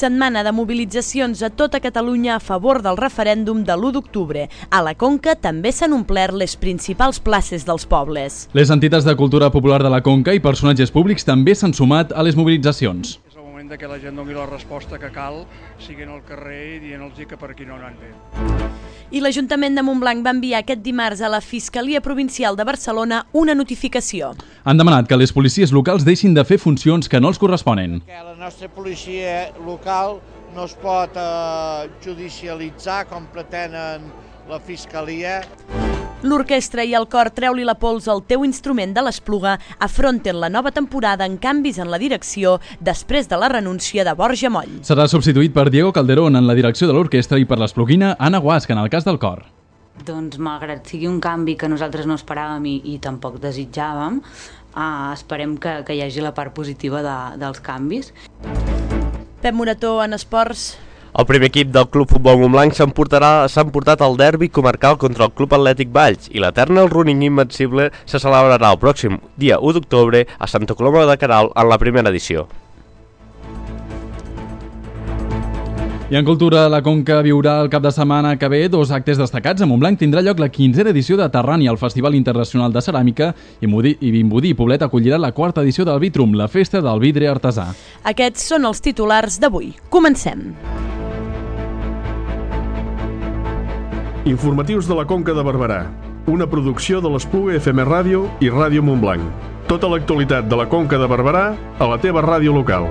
Setmana de mobilitzacions a tota Catalunya a favor del referèndum de l'1 d'octubre. A la Conca també s'han omplert les principals places dels pobles. Les entitats de cultura popular de la Conca i personatges públics també s'han sumat a les mobilitzacions. És el moment que la gent doni la resposta que cal, siguin al carrer i dient-los que per aquí no han fet. I l'Ajuntament de Montblanc va enviar aquest dimarts a la Fiscalia Provincial de Barcelona una notificació. Han demanat que les policies locals deixin de fer funcions que no els corresponen. La nostra policia local no es pot judicialitzar com pretenen la Fiscalia. L'orquestra i el cor Treu-li la pols al teu instrument de l'Espluga afronten la nova temporada amb canvis en la direcció després de la renúncia de Borja Moll. Serà substituït per Diego Calderón en la direcció de l'orquestra i per l'espluguina Anna Guasc en el cas del cor. Doncs malgrat sigui un canvi que nosaltres no esperàvem i tampoc desitjàvem, esperem que hi hagi la part positiva dels canvis. Pep Morató, en esports. El primer equip del Club Futbol Montblanc s'ha emportat el derbi comarcal contra el Club Atlètic Valls i l'Eternal Running Invencible se celebrarà el pròxim dia 1 d'octubre a Santa Coloma de Queralt en la primera edició. I en cultura, la Conca viurà el cap de setmana que ve dos actes destacats. A Montblanc tindrà lloc la 15a edició de Terrània, el Festival Internacional de Ceràmica, i Vimbodí i Poblet acollirà la 4a edició del Vitrum, la festa del vidre artesà. Aquests són els titulars d'avui. Comencem. Informatius de la Conca de Barberà, una producció de l'Espluga FM Ràdio i Ràdio Montblanc. Tota l'actualitat de la Conca de Barberà a la teva ràdio local.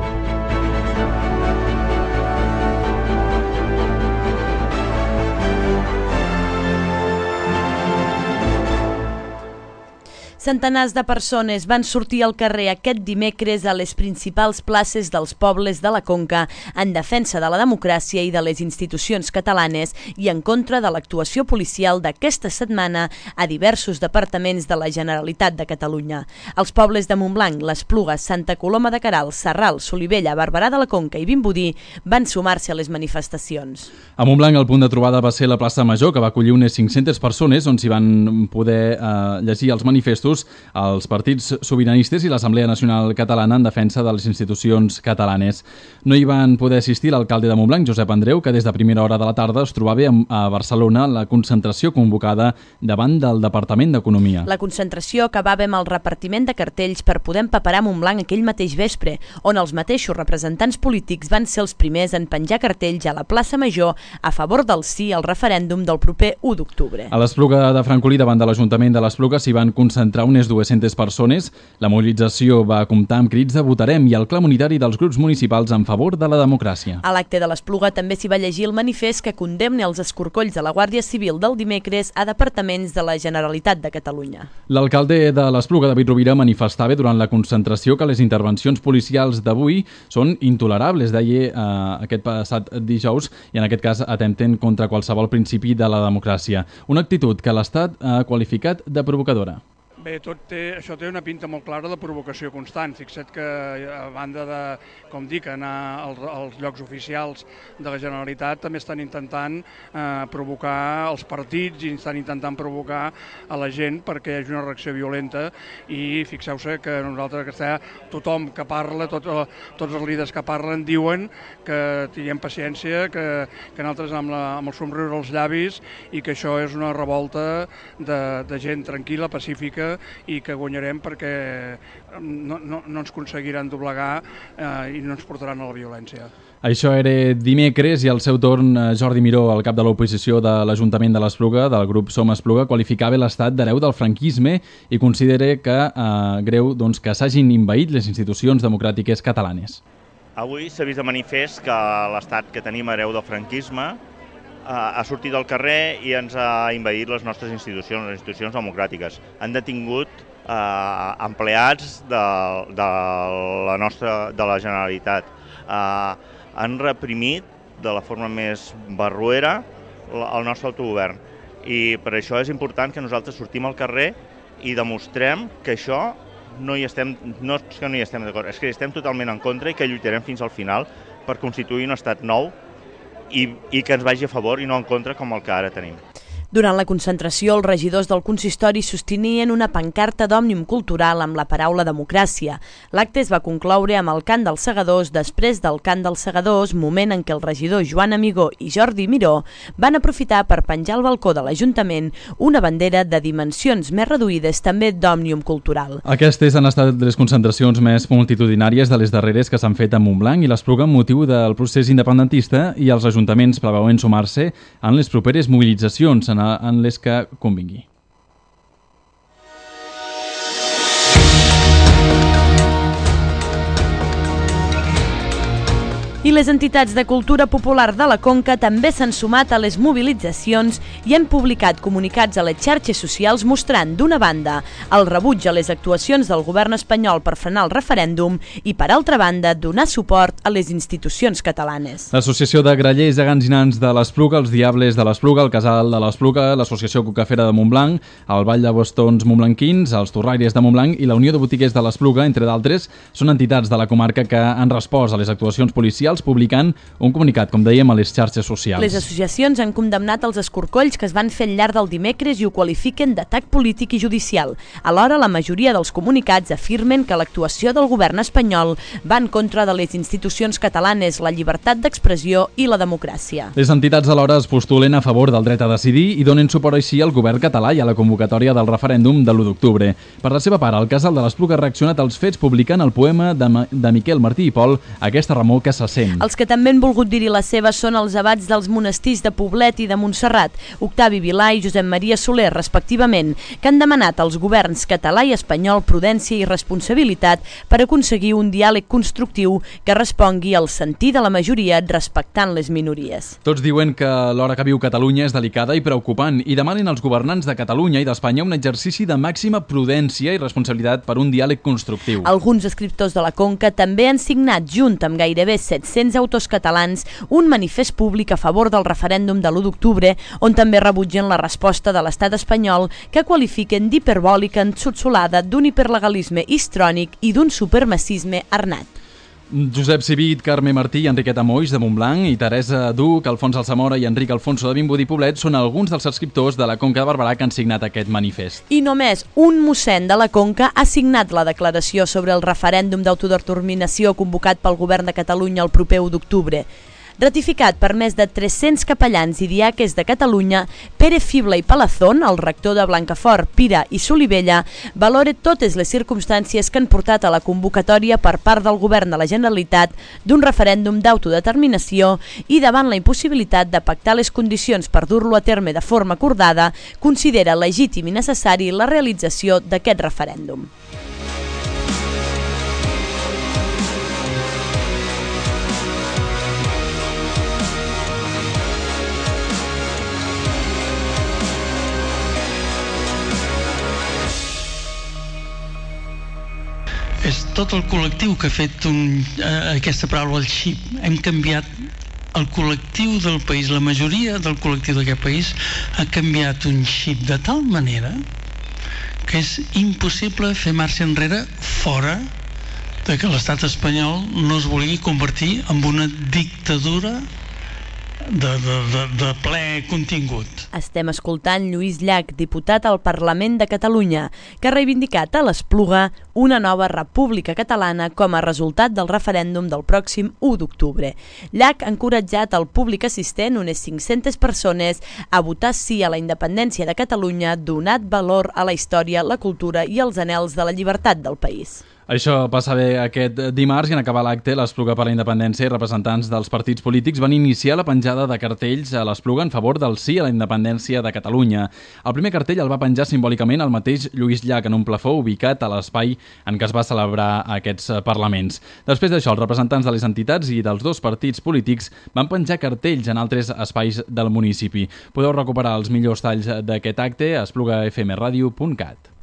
Centenars de persones van sortir al carrer aquest dimecres a les principals places dels pobles de la Conca en defensa de la democràcia i de les institucions catalanes i en contra de l'actuació policial d'aquesta setmana a diversos departaments de la Generalitat de Catalunya. Els pobles de Montblanc, l'Espluga, Santa Coloma de Queralt, Sarral, Solivella, Barberà de la Conca i Vimbodí van sumar-se a les manifestacions. A Montblanc el punt de trobada va ser la plaça Major, que va acollir unes 500 persones on s'hi van poder llegir els manifestos els partits sobiranistes i l'Assemblea Nacional Catalana en defensa de les institucions catalanes. No hi van poder assistir l'alcalde de Montblanc, Josep Andreu, que des de primera hora de la tarda es trobava a Barcelona la concentració convocada davant del Departament d'Economia. La concentració acabava amb el repartiment de cartells per poder empaperar Montblanc aquell mateix vespre, on els mateixos representants polítics van ser els primers en penjar cartells a la plaça Major a favor del sí al referèndum del proper 1 d'octubre. A l'Espluga de Francolí, davant de l'Ajuntament de l'Espluga, s'hi van concentrar unes 200 persones. La mobilització va comptar amb crits de votarem i el clam unitari dels grups municipals en favor de la democràcia. A l'acte de l'Espluga també s'hi va llegir el manifest que condemna els escorcolls de la Guàrdia Civil del dimecres a departaments de la Generalitat de Catalunya. L'alcalde de l'Espluga, David Rovira, manifestava durant la concentració que les intervencions policials d'avui són intolerables, deia aquest passat dijous, i en aquest cas atempten contra qualsevol principi de la democràcia. Una actitud que l'Estat ha qualificat de provocadora. Bé, això té una pinta molt clara de provocació constant. Fixa't que a banda de, com dic, anar als llocs oficials de la Generalitat també estan intentant provocar els partits i estan intentant provocar a la gent perquè hi hagi una reacció violenta i fixeu-se que nosaltres, tothom que parla, tots els líders que parlen diuen que tinguem paciència, que nosaltres amb el somriure als llavis i que això és una revolta de gent tranquil·la, pacífica i que guanyarem perquè no ens aconseguiran doblegar i no ens portaran a la violència. Això era dimecres i al seu torn Jordi Miró, el cap de l'oposició de l'Ajuntament de l'Espluga, del grup Som Espluga, qualificava l'Estat d'hereu del franquisme i considera que greu que s'hagin envaït les institucions democràtiques catalanes. Avui s'ha vist de manifest que l'Estat que tenim hereu del franquisme ha sortit al carrer i ens ha envaït les nostres institucions, les institucions democràtiques. Han detingut empleats de la Generalitat. Han reprimit de la forma més barroera el nostre autogovern. I per això és important que nosaltres sortim al carrer i demostrem que això no hi estem d'acord, és que hi estem totalment en contra i que lluitarem fins al final per constituir un estat nou i que ens vagi a favor i no en contra com el que ara tenim. Durant la concentració, els regidors del consistori sostenien una pancarta d'Òmnium Cultural amb la paraula democràcia. L'acte es va concloure amb el cant dels segadors. Després del cant dels segadors, moment en què el regidor Joan Amigó i Jordi Miró van aprofitar per penjar al balcó de l'Ajuntament una bandera de dimensions més reduïdes, també d'Òmnium Cultural. Aquestes han estat les concentracions més multitudinàries de les darreres que s'han fet a Montblanc i l'Espluga amb motiu del procés independentista, i els ajuntaments preveuen sumar-se en les properes mobilitzacions en les que convingui. I les entitats de cultura popular de la Conca també s'han sumat a les mobilitzacions i han publicat comunicats a les xarxes socials mostrant, d'una banda, el rebuig a les actuacions del govern espanyol per frenar el referèndum i, per altra banda, donar suport a les institucions catalanes. L'Associació de Grallers, Gegants i Nans de l'Espluga, els Diables de l'Espluga, el Casal de l'Espluga, l'Associació Cucafera de Montblanc, el Ball de Bastons Montblanquins, els Torraires de Montblanc i la Unió de Botiguers de l'Espluga, entre d'altres, són entitats de la comarca que han respost a les actuacions policials publicant un comunicat, com dèiem, a les xarxes socials. Les associacions han condemnat els escorcolls que es van fer al llarg del dimecres i ho qualifiquen d'atac polític i judicial. Alhora, la majoria dels comunicats afirmen que l'actuació del govern espanyol va en contra de les institucions catalanes, la llibertat d'expressió i la democràcia. Les entitats alhora es postulen a favor del dret a decidir i donen suport així al govern català i a la convocatòria del referèndum de l'1 d'octubre. Per la seva part, el Casal de l'Espluga ha reaccionat als fets publicant el poema de Miquel Martí i Pol, Aquesta remor que se sent. Els que també han volgut dir-hi la seva són els abats dels monestirs de Poblet i de Montserrat, Octavi Vilà i Josep Maria Soler, respectivament, que han demanat als governs català i espanyol prudència i responsabilitat per aconseguir un diàleg constructiu que respongui al sentir de la majoria respectant les minories. Tots diuen que l'hora que viu Catalunya és delicada i preocupant i demanen als governants de Catalunya i d'Espanya un exercici de màxima prudència i responsabilitat per un diàleg constructiu. Alguns escriptors de la Conca també han signat, junt amb gairebé 700 autors catalans, un manifest públic a favor del referèndum de l'1 d'octubre, on també rebutgen la resposta de l'estat espanyol, que qualifiquen d'hiperbòlica, ensotsolada, d'un hiperlegalisme histrònic i d'un supremacisme arnat. Josep Civit, Carme Martí i Enriqueta Moix de Montblanc i Teresa Duc, Alfons Alsamora i Enric Alfonso de Vimbodí Poblet són alguns dels escriptors de la Conca de Barberà que han signat aquest manifest. I només un mossèn de la Conca ha signat la declaració sobre el referèndum d'autodeterminació convocat pel govern de Catalunya el proper 1 d'octubre. Ratificat per més de 300 capellans i diaques de Catalunya, Pere Fibla i Palazón, el rector de Blancafort, Pira i Solivella, valora totes les circumstàncies que han portat a la convocatòria per part del govern de la Generalitat d'un referèndum d'autodeterminació i davant la impossibilitat de pactar les condicions per dur-lo a terme de forma acordada, considera legítim i necessari la realització d'aquest referèndum. És tot el col·lectiu que ha fet aquesta paraula, el xip. Hem canviat el col·lectiu del país, la majoria del col·lectiu d'aquest país ha canviat un xip de tal manera que és impossible fer marxa enrere fora de que l'estat espanyol no es vulgui convertir en una dictadura de ple contingut. Estem escoltant Lluís Llach, diputat al Parlament de Catalunya, que ha reivindicat a l'Espluga una nova república catalana com a resultat del referèndum del pròxim 1 d'octubre. Llach ha encoratjat al públic assistent, unes 500 persones, a votar sí a la independència de Catalunya, donat valor a la història, la cultura i els anhels de la llibertat del país. Això passa bé aquest dimarts i en acabar l'acte, l'Espluga per la Independència i representants dels partits polítics van iniciar la penjada de cartells a l'Espluga en favor del sí a la independència de Catalunya. El primer cartell el va penjar simbòlicament el mateix Lluís Llach en un plafó ubicat a l'espai en què es va celebrar aquests parlaments. Després d'això, els representants de les entitats i dels dos partits polítics van penjar cartells en altres espais del municipi. Podeu recuperar els millors talls d'aquest acte a esplugafmradio.cat.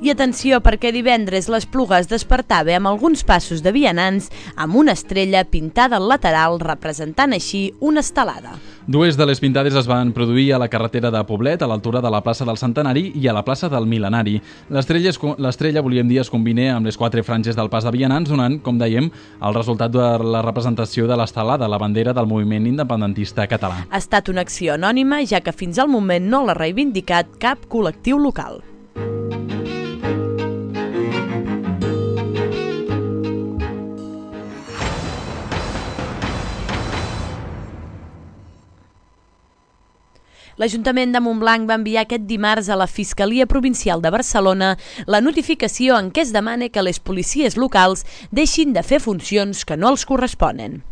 I atenció perquè divendres l'Espluga es despertava amb alguns passos de vianants amb una estrella pintada al lateral representant així una estelada. Dues de les pintades es van produir a la carretera de Poblet, a l'altura de la plaça del Centenari i a la plaça del Mil·lenari. L'estrella, volíem dir, es combina amb les 4 franges del pas de vianants, donant, com dèiem, el resultat de la representació de l'estelada, la bandera del moviment independentista català. Ha estat una acció anònima, ja que fins al moment no l'ha reivindicat cap col·lectiu local. L'Ajuntament de Montblanc va enviar aquest dimarts a la Fiscalia Provincial de Barcelona la notificació en què es demana que les policies locals deixin de fer funcions que no els corresponen.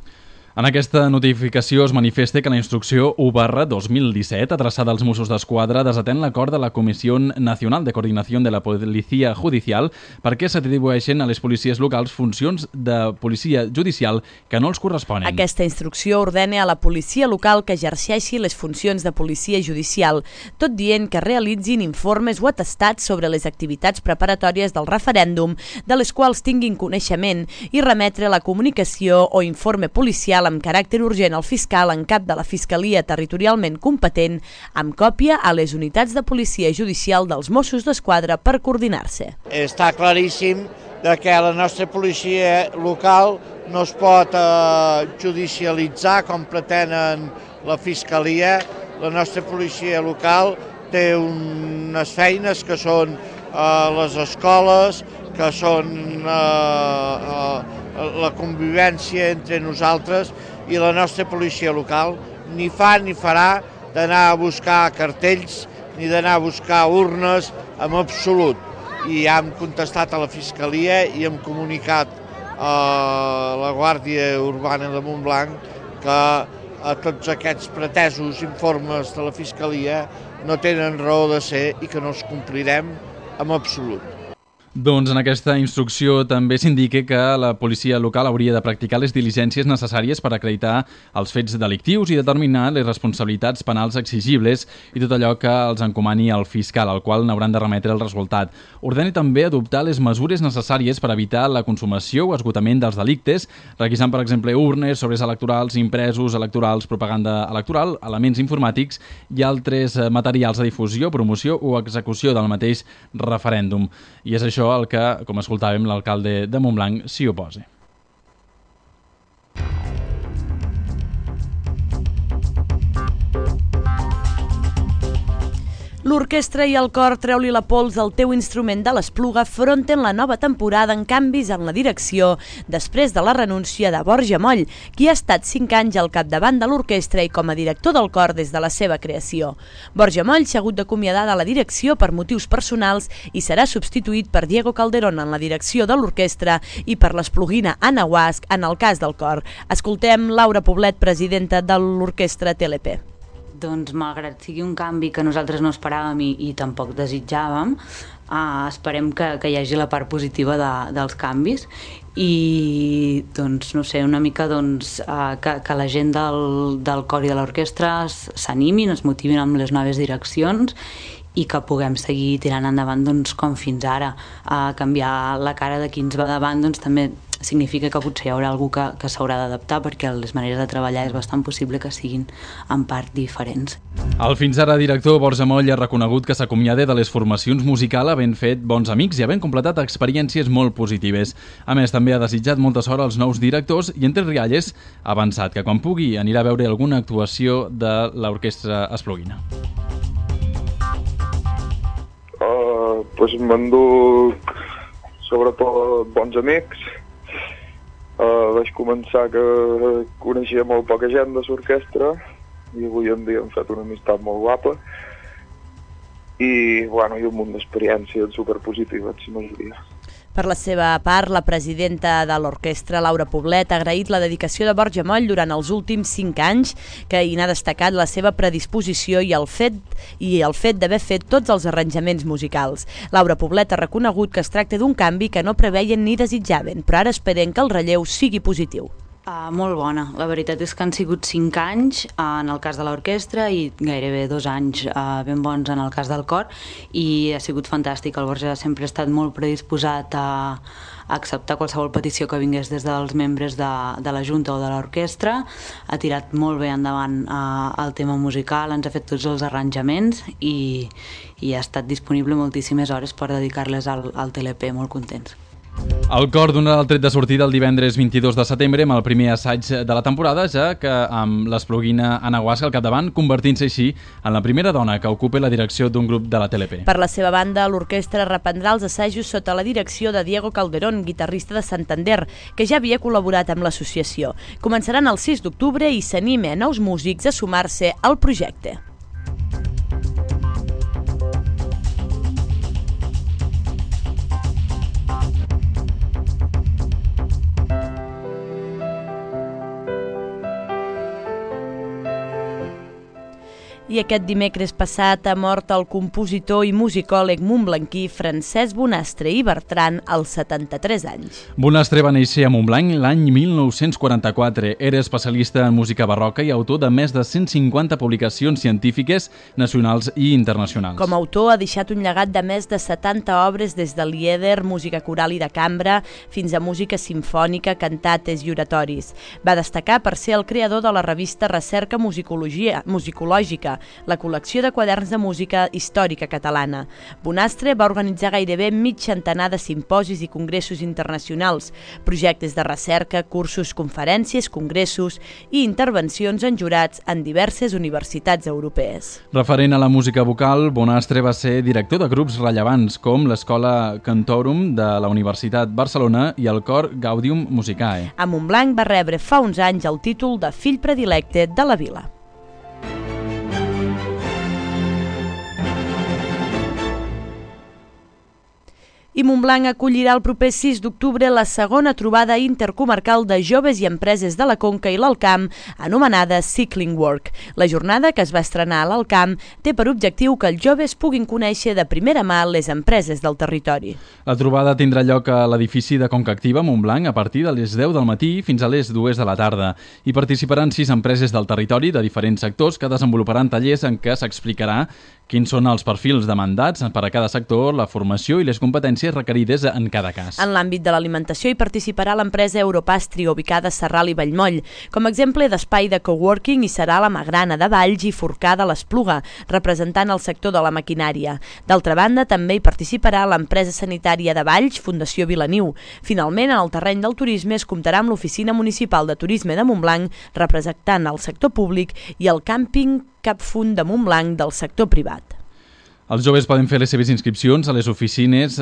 En aquesta notificació es manifesta que la instrucció 1/2017, adreçada als Mossos d'Esquadra, desatén l'acord de la Comissió Nacional de Coordinació de la Policia Judicial perquè s'atribueixen a les policies locals funcions de policia judicial que no els corresponen. Aquesta instrucció ordena a la policia local que exerceixi les funcions de policia judicial, tot dient que realitzin informes o atestats sobre les activitats preparatòries del referèndum, de les quals tinguin coneixement, i remetre la comunicació o informe policial amb caràcter urgent al fiscal en cap de la Fiscalia territorialment competent, amb còpia a les unitats de policia judicial dels Mossos d'Esquadra per coordinar-se. Està claríssim que la nostra policia local no es pot judicialitzar com pretenen la Fiscalia. La nostra policia local té unes feines que són les escoles, que són la convivència entre nosaltres, i la nostra policia local ni fa ni farà d'anar a buscar cartells ni d'anar a buscar urnes en absolut. I hem contestat a la Fiscalia i hem comunicat a la Guàrdia Urbana de Montblanc que tots aquests pretesos informes de la Fiscalia no tenen raó de ser i que no els complirem en absolut. Doncs en aquesta instrucció també s'indica que la policia local hauria de practicar les diligències necessàries per acreditar els fets delictius i determinar les responsabilitats penals exigibles i tot allò que els encomani el fiscal, al qual n'hauran de remetre el resultat. Ordena també adoptar les mesures necessàries per evitar la consumació o esgotament dels delictes, requisant, per exemple, urnes, sobres electorals, impresos electorals, propaganda electoral, elements informàtics i altres materials de difusió, promoció o execució del mateix referèndum. I és això el que, com escoltàvem, l'alcalde de Montblanc s'hi oposa. L'orquestra i el cor Treu-li la pols al teu instrument de l'Espluga afronten la nova temporada amb canvis en la direcció després de la renúncia de Borja Moll, qui ha estat 5 anys al capdavant de l'orquestra i com a director del cor des de la seva creació. Borja Moll s'ha hagut d'acomiadar de la direcció per motius personals i serà substituït per Diego Calderón en la direcció de l'orquestra i per l'espluguina Anna Guasch en el cas del cor. Escoltem Laura Poblet, presidenta de l'orquestra TLP. Doncs malgrat sigui un canvi que nosaltres no esperàvem i tampoc desitjàvem, esperem que hi hagi la part positiva dels canvis i doncs, no sé, una mica que la gent del cor i de l'orquestra s'animin, es motivin amb les noves direccions i que puguem seguir tirant endavant com fins ara. Canviar la cara de qui ens va davant també significa que potser hi haurà algú que s'haurà d'adaptar perquè les maneres de treballar és bastant possible que siguin en part diferents. El fins ara director Borja Moll ha reconegut que s'acomiada de les formacions musicals havent fet bons amics i havent completat experiències molt positives. A més, també ha desitjat molta sort als nous directors i entre rialles ha avançat que quan pugui anirà a veure alguna actuació de l'orquestra espluguina. M'enduc sobretot bons amics. Vaig començar que coneixia molt poca gent de l'orquestra i avui en dia hem fet una amistat molt guapa i un munt d'experiències superpositives, la majoria. Per la seva part, la presidenta de l'orquestra, Laura Poblet, ha agraït la dedicació de Borja Moll durant els últims 5 anys, que hi n'ha destacat la seva predisposició i el fet d'haver fet tots els arranjaments musicals. Laura Poblet ha reconegut que es tracta d'un canvi que no preveien ni desitjaven, però ara esperen que el relleu sigui positiu. Molt bona. La veritat és que han sigut 5 anys en el cas de l'orquestra i gairebé 2 anys ben bons en el cas del cor, i ha sigut fantàstic. El Borja sempre ha estat molt predisposat a acceptar qualsevol petició que vingués des dels membres de la Junta o de l'orquestra. Ha tirat molt bé endavant el tema musical, ens ha fet tots els arranjaments i ha estat disponible moltíssimes hores per dedicar-les al TLP, molt contents. El cor donarà el tret de sortida el divendres 22 de setembre amb el primer assaig de la temporada, ja que amb l'espluguina Anna Guasca al capdavant, convertint-se així en la primera dona que ocupa la direcció d'un grup de la TLP. Per la seva banda, l'orquestra reprendrà els assajos sota la direcció de Diego Calderón, guitarrista de Santander, que ja havia col·laborat amb l'associació. Començaran el 6 d'octubre i s'anima a nous músics a sumar-se al projecte. I aquest dimecres passat ha mort el compositor i musicòleg montblanquí Francesc Bonastre i Bertran als 73 anys. Bonastre va néixer a Montblanc l'any 1944. Era especialista en música barroca i autor de més de 150 publicacions científiques nacionals i internacionals. Com a autor ha deixat un llegat de més de 70 obres des de lieder, música coral i de cambra, fins a música simfònica, cantates i oratoris. Va destacar per ser el creador de la revista Recerca Musicològica, la col·lecció de quaderns de música històrica catalana. Bonastre va organitzar gairebé mig centenar de simposis i congressos internacionals, projectes de recerca, cursos, conferències, congressos i intervencions en jurats en diverses universitats europees. Referent a la música vocal, Bonastre va ser director de grups rellevants com l'Escola Cantorum de la Universitat Barcelona i el cor Gaudium Musicae. A Montblanc va rebre fa uns anys el títol de fill predilecte de la vila. I Montblanc acollirà el proper 6 d'octubre la segona trobada intercomarcal de joves i empreses de la Conca i l'Alt Camp, anomenada Cycling Work. La jornada, que es va estrenar a l'Alt Camp, té per objectiu que els joves puguin conèixer de primera mà les empreses del territori. La trobada tindrà lloc a l'edifici de Conca Activa, Montblanc, a partir de les 10 del matí fins a les 2 de la tarda. Hi participaran 6 empreses del territori de diferents sectors que desenvoluparan tallers en què s'explicarà quins són els perfils demandats per a cada sector, la formació i les competències requerides en cada cas. En l'àmbit de l'alimentació hi participarà l'empresa Europastri, ubicada a Sarral i Vallmoll. Com a exemple d'espai de coworking hi serà la Magrana de Valls i Forcà de l'Espluga, representant el sector de la maquinària. D'altra banda, també hi participarà l'empresa sanitària de Valls, Fundació Vilaniu. Finalment, en el terreny del turisme es comptarà amb l'Oficina Municipal de Turisme de Montblanc, representant el sector públic, i el càmping Capfund de Montblanc del sector privat. Els joves poden fer les seves inscripcions a les oficines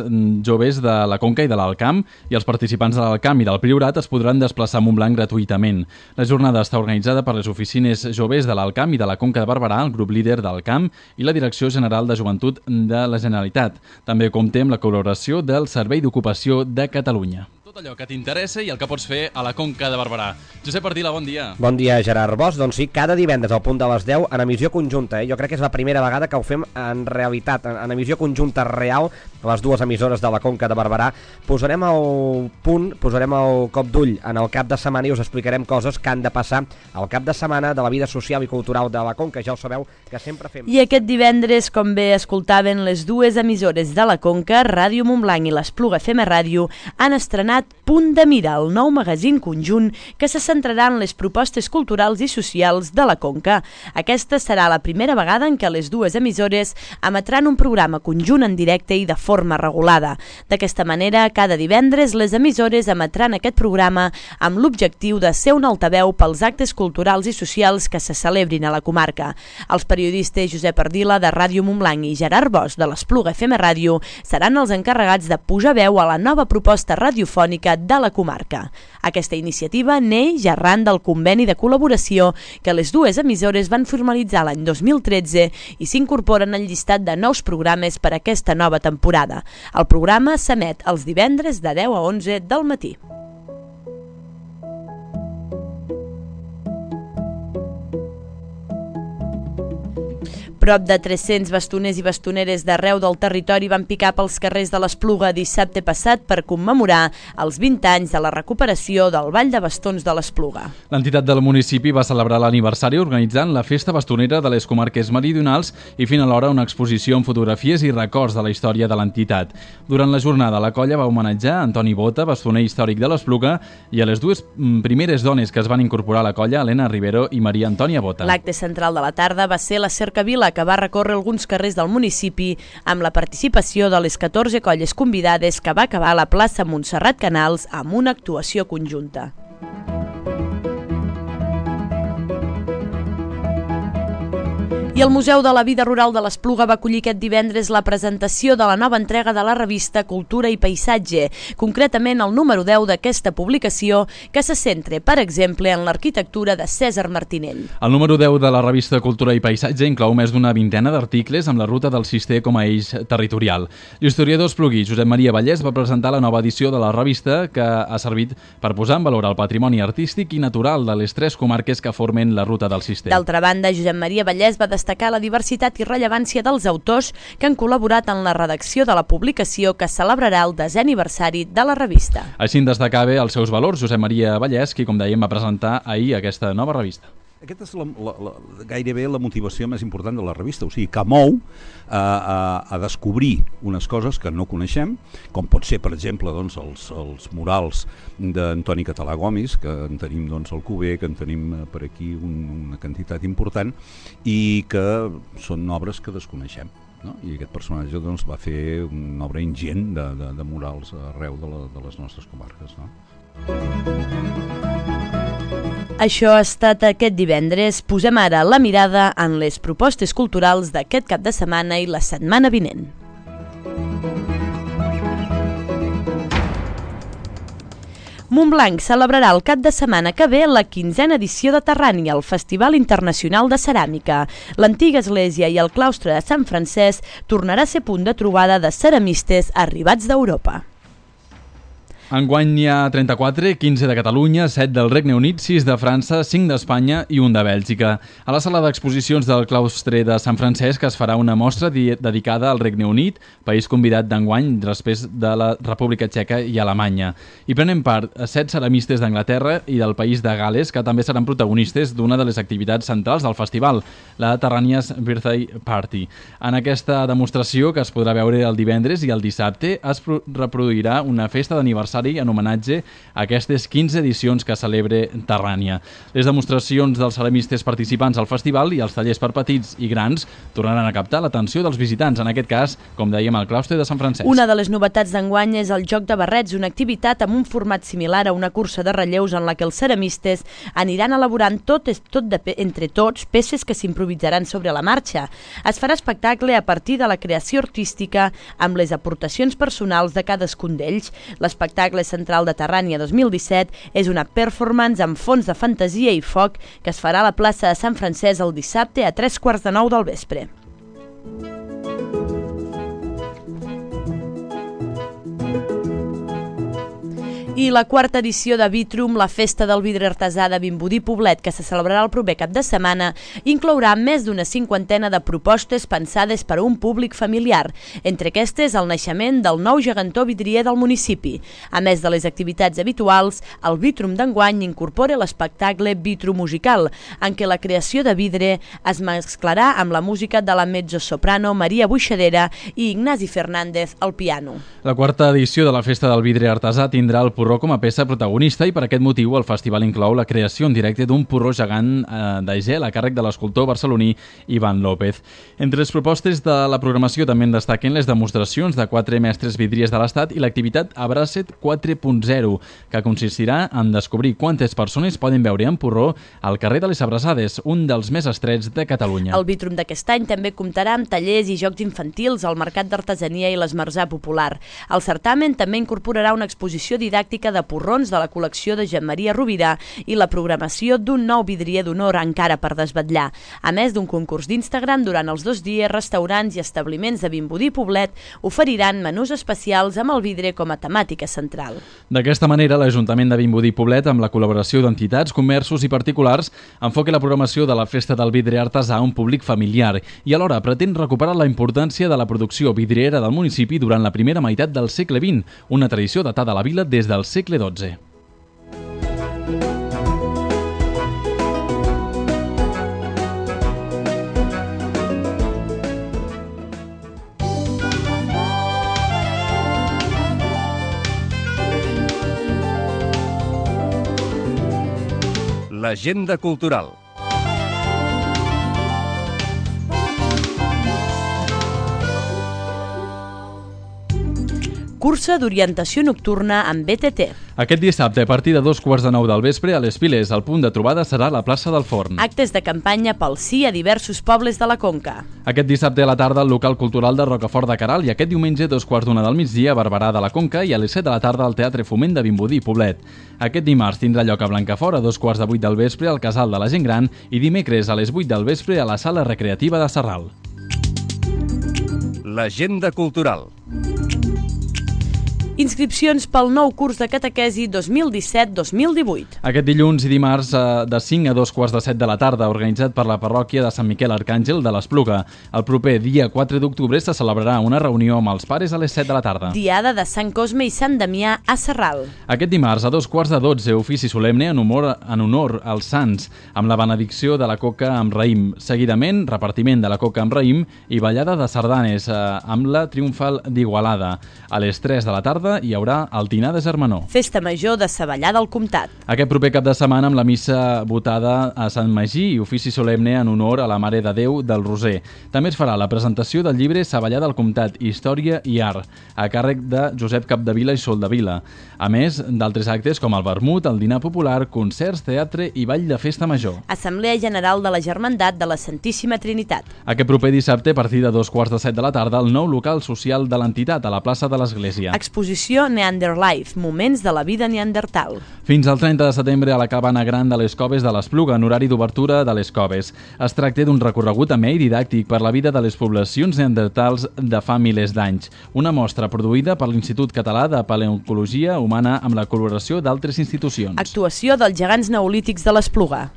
joves de la Conca i de l'Alt Camp i els participants de l'Alt Camp i del Priorat es podran desplaçar a Montblanc gratuïtament. La jornada està organitzada per les oficines joves de l'Alt Camp i de la Conca de Barberà, el grup líder del Camp i la Direcció General de Joventut de la Generalitat. També compta amb la col·laboració del Servei d'Ocupació de Catalunya. Tot allò que t'interessa i el que pots fer a la Conca de Barberà. Josep Ardila, bon dia. Bon dia, Gerard Bosch. Doncs sí, cada divendres al punt de les 10 en emissió conjunta. Jo crec que és la primera vegada que ho fem en realitat, en emissió conjunta real, les dues emissores de la Conca de Barberà. Posarem el punt, posarem el cop d'ull en el cap de setmana i us explicarem coses que han de passar al cap de setmana de la vida social i cultural de la Conca. Ja ho sabeu que sempre fem... I aquest divendres, com bé escoltaven, les dues emissores de la Conca, Ràdio Montblanc i l'Espluga FM Ràdio, han estrenat Punt de Mira, el nou magazín conjunt que se centrarà en les propostes culturals i socials de la Conca. Aquesta serà la primera vegada en què les dues emissores emetran un programa conjunt en directe i de forma regulada. D'aquesta manera, cada divendres les emissores emetran aquest programa amb l'objectiu de ser un altaveu pels actes culturals i socials que se celebrin a la comarca. Els periodistes Josep Ardila de Ràdio Montblanc i Gerard Bosch de l'Espluga FM Ràdio seran els encarregats de pujar veu a la nova proposta radiofònica de la comarca. Aquesta iniciativa neix arran del conveni de col·laboració que les dues emissores van formalitzar l'any 2013 i s'incorporen al llistat de nous programes per a aquesta nova temporada. El programa s'emet els divendres de 10 a 11 del matí. Prop de 300 bastoners i bastoneres d'arreu del territori van picar pels carrers de l'Espluga dissabte passat per commemorar els 20 anys de la recuperació del Ball de Bastons de l'Espluga. L'entitat del municipi va celebrar l'aniversari organitzant la festa bastonera de les comarques meridionals i fent alhora una exposició amb fotografies i records de la història de l'entitat. Durant la jornada, la colla va homenatjar Antoni Bota, bastoner històric de l'Espluga, i a les dues primeres dones que es van incorporar a la colla, Helena Rivero i Maria Antònia Bota. L'acte central de la tarda va ser la cercavila, que va recórrer alguns carrers del municipi amb la participació de les 14 colles convidades, que va acabar a la plaça Montserrat Canals amb una actuació conjunta. I el Museu de la Vida Rural de l'Espluga va acollir aquest divendres la presentació de la nova entrega de la revista Cultura i Paisatge, concretament el número 10 d'aquesta publicació, que se centra, per exemple, en l'arquitectura de Cèsar Martinell. El número 10 de la revista Cultura i Paisatge inclou més d'una vintena d'articles amb la ruta del Cister com a eix territorial. L'historiador esplugui Josep Maria Vallès va presentar la nova edició de la revista, que ha servit per posar en valor el patrimoni artístic i natural de les 3 comarques que formen la ruta del Cister. D'altra banda, Josep Maria Vallès va destacar la diversitat i rellevància dels autors que han col·laborat en la redacció de la publicació, que celebrarà el 10è aniversari de la revista. Així en destacava els seus valors Josep Maria Vallès, qui, com dèiem, va presentar ahir aquesta nova revista. Aquesta és gairebé la motivació més important de la revista, o sigui, que mou a descobrir unes coses que no coneixem, com pot ser, per exemple, doncs, els murals d'Antoni Català Gomis, que en tenim doncs, al Cuber, que en tenim per aquí una quantitat important, i que són obres que desconeixem. No? I aquest personatge doncs, va fer una obra ingent de murals arreu de les nostres comarques. No? Això ha estat aquest divendres. Posem ara la mirada en les propostes culturals d'aquest cap de setmana i la setmana vinent. Montblanc celebrarà el cap de setmana que ve la 15a edició de Terrània, el Festival Internacional de Ceràmica. L'antiga església i el claustre de Sant Francesc tornarà a ser punt de trobada de ceramistes arribats d'Europa. Enguany hi ha 34, 15 de Catalunya, 7 del Regne Unit, 6 de França, 5 d'Espanya i 1 de Bèlgica. A la sala d'exposicions del claustre de Sant Francesc es farà una mostra dedicada al Regne Unit, país convidat d'enguany després de la República Txeca i Alemanya. Hi prenen part 7 ceramistes d'Anglaterra i del país de Gales, que també seran protagonistes d'una de les activitats centrals del festival, la Terrània's Birthday Party. En aquesta demostració, que es podrà veure el divendres i el dissabte, es reproduirà una festa d'aniversari en homenatge a aquestes 15 edicions que celebra Terrània. Les demostracions dels ceramistes participants al festival i els tallers per petits i grans tornaran a captar l'atenció dels visitants, en aquest cas, com dèiem, al claustre de Sant Francesc. Una de les novetats d'enguany és el joc de barrets, una activitat amb un format similar a una cursa de relleus en la que els ceramistes aniran elaborant entre tots peces que s'improvisaran sobre la marxa. Es farà espectacle a partir de la creació artística amb les aportacions personals de cadascun d'ells. L'espectacle central de Terrània 2017 és una performance amb fons de fantasia i foc que es farà a la plaça de Sant Francesc el dissabte a 15:45 del vespre. I la quarta edició de Vitrum, la festa del vidre artesà de Vimbodí Poblet, que se celebrarà el proper cap de setmana, inclourà més d'una 50 de propostes pensades per a un públic familiar. Entre aquestes, el naixement del nou gegantó vidrier del municipi. A més de les activitats habituals, el Vitrum d'enguany incorpora l'espectacle Vitrum Musical, en què la creació de vidre es mesclarà amb la música de la mezzosoprano Maria Buixadera i Ignasi Fernández al piano. La quarta edició de la festa del vidre artesà tindrà el porró com a peça protagonista i per aquest motiu el festival inclou la creació en directe d'un porró gegant de gel a càrrec de l'escultor barceloní Ivan López. Entre les propostes de la programació també en destaquen les demostracions de 4 mestres vidriers de l'Estat i l'activitat Abracet 4.0, que consistirà en descobrir quantes persones poden veure en porró al carrer de les Abraçades, un dels més estrets de Catalunya. El Vitrum d'aquest any també comptarà amb tallers i jocs infantils al Mercat d'Artesania i l'Esmorzar Popular. El certamen també incorporarà una exposició didàctica temàtica de porrons de la col·lecció de Jean Maria Rovira i la programació d'un nou vidrier d'honor encara per desvetllar. A més d'un concurs d'Instagram, durant els 2 dies, restaurants i establiments de Vimbodí i Poblet oferiran menús especials amb el vidre com a temàtica central. D'aquesta manera, l'Ajuntament de Vimbodí i Poblet, amb la col·laboració d'entitats, comerços i particulars, enfoca la programació de la Festa del Vidre Artesà a un públic familiar i alhora pretén recuperar la importància de la producció vidriera del municipi durant la primera meitat del segle XX, una tradició datada a la vila des del segle XII. L'agenda cultural. Cursa d'orientació nocturna amb BTT. Aquest dissabte, a partir de 8:45 del vespre, a les Piles, el punt de trobada serà la plaça del Forn. Actes de campanya pel sí a diversos pobles de la Conca. Aquest dissabte a la tarda, al local cultural de Rocafort de Queralt, i aquest diumenge, a 2:15 del migdia, a Barberà de la Conca, i a les 7 de la tarda al Teatre Foment de Vimbodí i Poblet. Aquest dimarts tindrà lloc a Blancafort a 2:15 del vespre al Casal de la Gent Gran i dimecres a les 8 del vespre a la Sala Recreativa de Sarral. L'agenda cultural. Inscripcions pel nou curs de catequesi 2017-2018. Aquest dilluns i dimarts de 5 a 2:15 de la tarda, organitzat per la parròquia de Sant Miquel Arcàngel de l'Espluga. El proper dia 4 d'octubre se celebrarà una reunió amb els pares a les 7 de la tarda. Diada de Sant Cosme i Sant Damià a Sarral. Aquest dimarts a 2:15, ofici solemne en honor als sants, amb la benedicció de la coca amb raïm. Seguidament, repartiment de la coca amb raïm i ballada de sardanes amb la triomfal d'Igualada. A les 3 de la tarda hi haurà el dinar de Germanor. Festa major de Savallà del Comtat. Aquest proper cap de setmana amb la missa votada a Sant Magí i ofici solemne en honor a la Mare de Déu del Roser. També es farà la presentació del llibre Savallà del Comtat, Història i Art, a càrrec de Josep Capdevila i Soldevila. A més d'altres actes com el vermut, el dinar popular, concerts, teatre i ball de festa major. Assemblea General de la Germandat de la Santíssima Trinitat. Aquest proper dissabte, a partir de 2:15 de la tarda, el nou local social de l'entitat a la plaça de l'Església. Exposició Neanderlife, moments de la vida neandertal. Fins al 30 de setembre a la cabana gran de les Coves de l'Espluga, en horari d'obertura de les Coves. Es tracta d'un recorregut amè i didàctic per la vida de les poblacions neandertals de fa milers d'anys. Una mostra produïda per l'Institut Català de Paleoncologia Humana amb la col·laboració d'altres institucions. Actuació dels gegants neolítics de l'Espluga.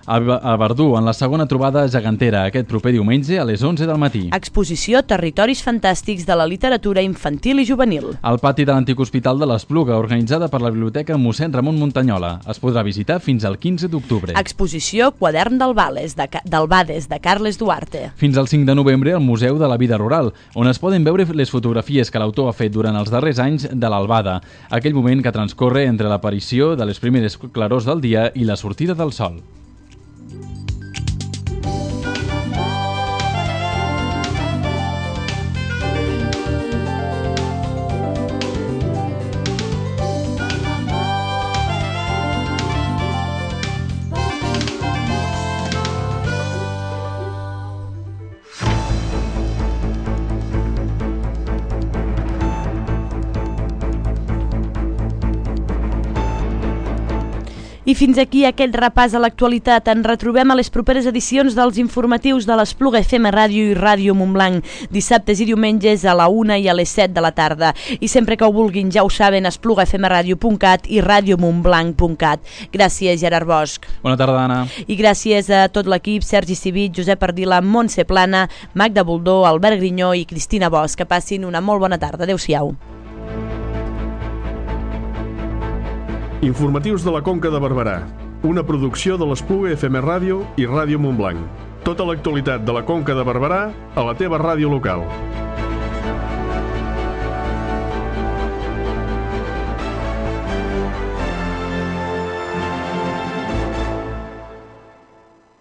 A Verdú, en la segona trobada gegantera, aquest proper diumenge a les 11 del matí. Exposició Territoris Fantàstics de la literatura infantil i juvenil. Al pati de l'antic hospital de l'Espluga, organitzada per la Biblioteca Mossèn Ramon Muntanyola. Es podrà visitar fins al 15 d'octubre. Exposició Quadern d'Albades de Carles Duarte. Fins al 5 de novembre al Museu de la Vida Rural, on es poden veure les fotografies que l'autor ha fet durant els darrers anys de l'albada, aquell moment que transcorre entre l'aparició de les primeres clarors del dia i la sortida del sol. I fins aquí aquest repàs a l'actualitat. En retrobem a les properes edicions dels informatius de l'Espluga FM Ràdio i Ràdio Montblanc, dissabtes i diumenges a la 1 i a les 7 de la tarda. I sempre que ho vulguin, ja ho saben, esplugafmradio.cat i radiomontblanc.cat. Gràcies, Gerard Bosch. Bona tarda, Anna. I gràcies a tot l'equip, Sergi Civit, Josep Ardila, Montse Plana, Magda Boldó, Albert Grinyó i Cristina Bosch. Que passin una molt bona tarda. Adéu-siau. Informatius de la Conca de Barberà, una producció de l'Espluga FM Ràdio i Ràdio Montblanc. Tota l'actualitat de la Conca de Barberà a la teva ràdio local.